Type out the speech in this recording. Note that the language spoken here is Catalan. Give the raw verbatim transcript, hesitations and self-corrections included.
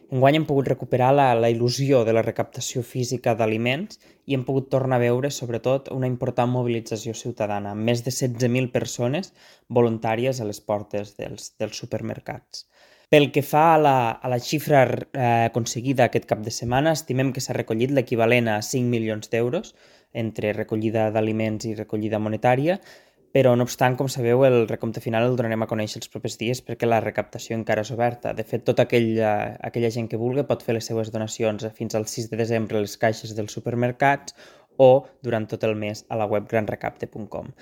Enguany hem pogut recuperar la, la il·lusió de la recaptació física d'aliments i hem pogut tornar a veure, sobretot, una important mobilització ciutadana, amb més de setze mil persones voluntàries a les portes dels, dels supermercats. Pel que fa a la, a la xifra eh, aconseguida aquest cap de setmana, estimem que s'ha recollit l'equivalent a cinc milions d'euros entre recollida d'aliments i recollida monetària, però, no obstant, com sabeu, el recompte final el donarem a conèixer els propers dies perquè la recaptació encara és oberta. De fet, tota aquella, aquella gent que vulgui pot fer les seues donacions fins al sis de desembre a les caixes dels supermercats o durant tot el mes a la web gran recapte punt com.